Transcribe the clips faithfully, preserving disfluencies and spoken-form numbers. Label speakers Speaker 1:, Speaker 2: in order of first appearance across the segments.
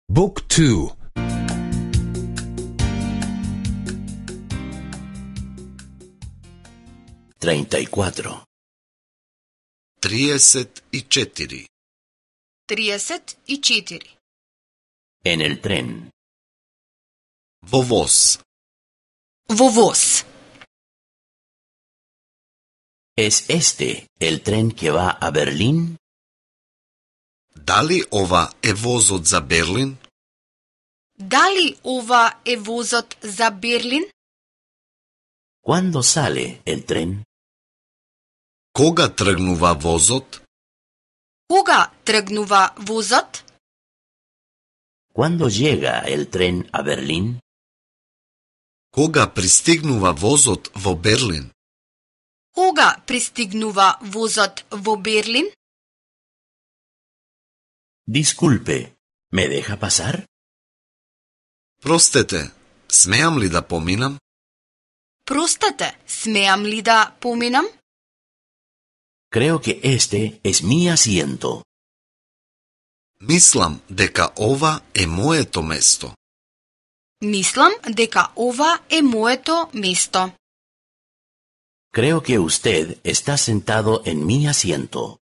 Speaker 1: Book two.
Speaker 2: Treinta y cuatro.
Speaker 3: Trideset и четири.
Speaker 4: Trideset и четири.
Speaker 2: En el tren.
Speaker 3: Во воз.
Speaker 4: Во воз.
Speaker 2: ¿Es este el tren que va a Berlín?
Speaker 3: Дали ова е возот за Берлин?
Speaker 4: Дали ова е возот за Берлин?
Speaker 2: ¿Cuándo sale el tren?
Speaker 3: Кога тргнува возот?
Speaker 4: Кога тргнува возот?
Speaker 2: ¿Cuándo llega el tren a Berlín?
Speaker 3: Кога пристигнува возот во Берлин?
Speaker 4: Кога пристигнува возот во Берлин?
Speaker 2: Disculpe, ¿me deja pasar?
Speaker 3: Простете, смеам ли да поминам?
Speaker 4: Простете, смеам ли да поминам?
Speaker 2: Creo que este es mi asiento.
Speaker 3: Мислам дека ова е моето место.
Speaker 4: Мислам дека ова е моето место.
Speaker 2: Creo que usted está sentado en mi asiento.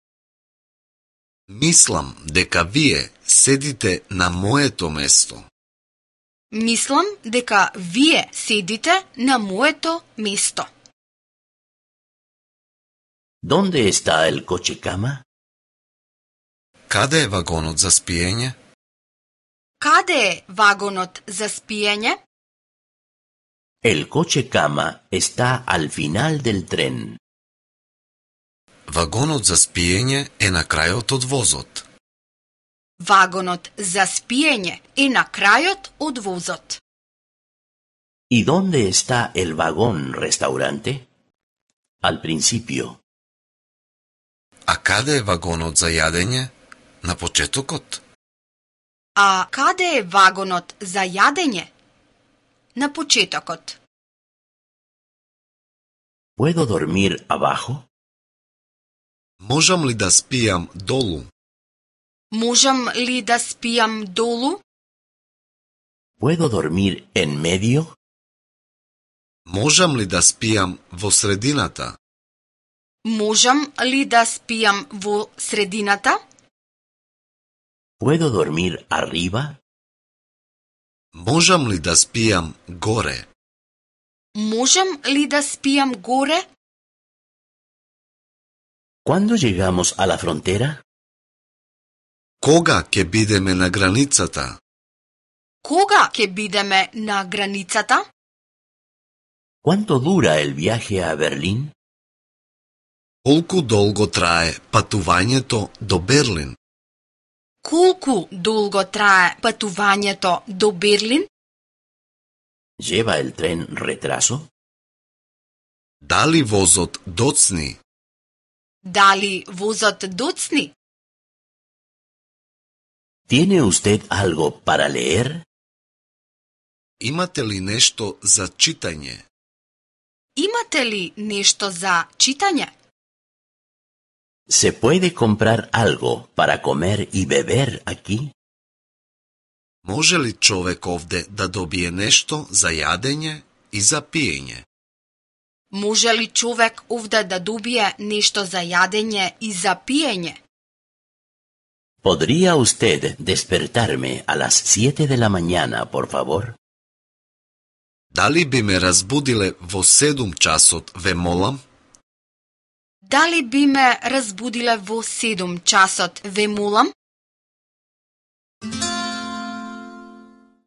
Speaker 3: Мислам дека вие седите на моето место.
Speaker 4: Мислам дека вие седите на моето место.
Speaker 2: ¿Dónde está el coche cama?
Speaker 3: Каде е вагонот за спиење?
Speaker 4: Каде е вагонот за спиење?
Speaker 2: El coche cama está al final del tren.
Speaker 3: Вагонот за спиење е на крајот од возот.
Speaker 4: Вагонот за спиење е на крајот од возот.
Speaker 2: ¿Y dónde está el vagón restaurante? Al principio.
Speaker 3: А каде е вагонот за јадење? На почетокот.
Speaker 4: А каде е вагонот за јадење? На почетокот.
Speaker 2: ¿Puedo dormir abajo?
Speaker 3: Можам ли да спијам долу?
Speaker 4: Можам ли да спијам долу?
Speaker 2: ¿Puedo dormir en medio?
Speaker 3: Можам ли да спијам во средината?
Speaker 4: Можам ли да спијам во средината?
Speaker 2: ¿Puedo dormir arriba?
Speaker 3: Можам ли да спијам горе?
Speaker 4: Можам ли да спијам горе?
Speaker 2: ¿Cuándo llegamos a la frontera?
Speaker 3: Кога ќе бидеме на границата?
Speaker 4: Кога ќе бидеме на границата?
Speaker 2: ¿Cuánto dura el viaje a Berlín?
Speaker 3: Колку долго трае патувањето до Берлин?
Speaker 4: Колку долго трае патувањето до Берлин?
Speaker 2: ¿Lleva el tren retraso?
Speaker 3: Дали возот доцни?
Speaker 4: Дали возот доцни?
Speaker 2: ¿Tiene usted algo para leer?
Speaker 3: Имате ли нешто за читање?
Speaker 4: Имате ли нешто за читање?
Speaker 2: ¿Se puede comprar algo para comer y beber aquí?
Speaker 3: Може ли човек овде да добие нешто за јадење и за пиење?
Speaker 4: Може ли човек овде да добие нешто за јадење и за пиење?
Speaker 2: ¿Podría usted despertarme a las siete de la mañana, por favor?
Speaker 3: Дали би ме разбудиле во седум часот, ве молам?
Speaker 4: Дали би ме разбудиле во седум часот, ве молам?